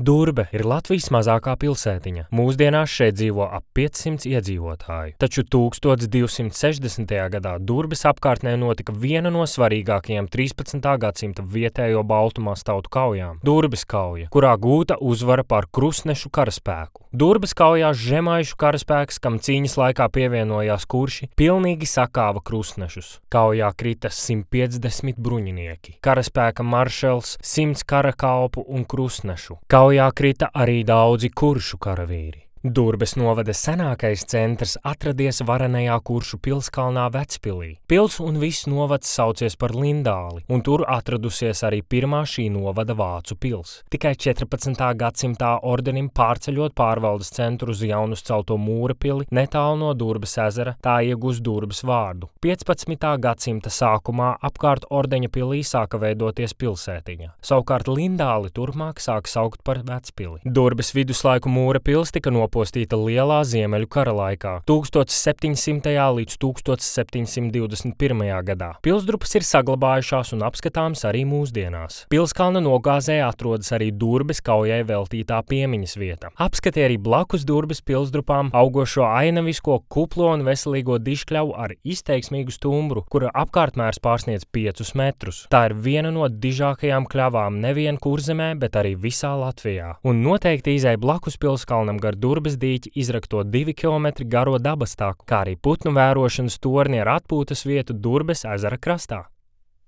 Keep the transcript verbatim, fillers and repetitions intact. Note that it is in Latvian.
Durbe ir Latvijas mazākā pilsētiņa. Mūsdienās šeit dzīvo ap piecsimt iedzīvotāju. Taču tūkstoš divsimt sešdesmitajā gadā Durbes apkārtnē notika viena no svarīgākajām trīspadsmitā gadsimta vietējo baltumās tautu kaujām – Durbes kauja, kurā gūta uzvara pār krustnešu karaspēku. Durbes kaujās žemaišu karaspēks, kam cīņas laikā pievienojās kurši, pilnīgi sakāva krustnešus. Kaujā krita simt piecdesmit bruņinieki, karaspēka maršals, simts karakalpu un krustnešu. Kaujā krita arī daudzi kuršu karavīri. Durbes novada senākais centrs atradies varenajā Kuršu pilskalnā Vecpilī. Pils un viss novads saucies par Lindāli, un tur atradusies arī pirmā šī novada vācu pils. Tikai četrpadsmitā gadsimtā ordenim pārceļot pārvaldes centru uz jaunuzcelto mūra pili netālu no Durbes ezera, tā iegūs Durbes vārdu. piecpadsmitā gadsimta sākumā apkārt ordeņa pilī sāka veidoties pilsētiņa. Savukārt Lindāli turpmāk sāka saukt par Vecpili. Durbes viduslaiku mūra pils tika no postīta Lielā Ziemeļu kara laikā, tūkstoš septiņsimtajā līdz tūkstoš septiņsimt divdesmit pirmajā gadā. Pilsdrupas ir saglabājušās un apskatāms arī mūsdienās. Pilskalna nogāzē atrodas arī Durbes kaujai veltītā piemiņas vieta. Apskati arī blakus Durbes pilsdrupām augošo ainavisko, kuplo un veselīgo diškļavu ar izteiksmīgu stumbru, kura apkārtmērs pārsniedz piecus metrus. Tā ir viena no dižākajām kļavām nevien Kurzemē, bet arī visā Latvijā. Un noteikti izej blakus pilskalnam gar Durbes dīķi izrakto divi kilometri garo dabas taku, kā arī putnu vērošanas torni ar atpūtas vietu Durbes ezera krastā.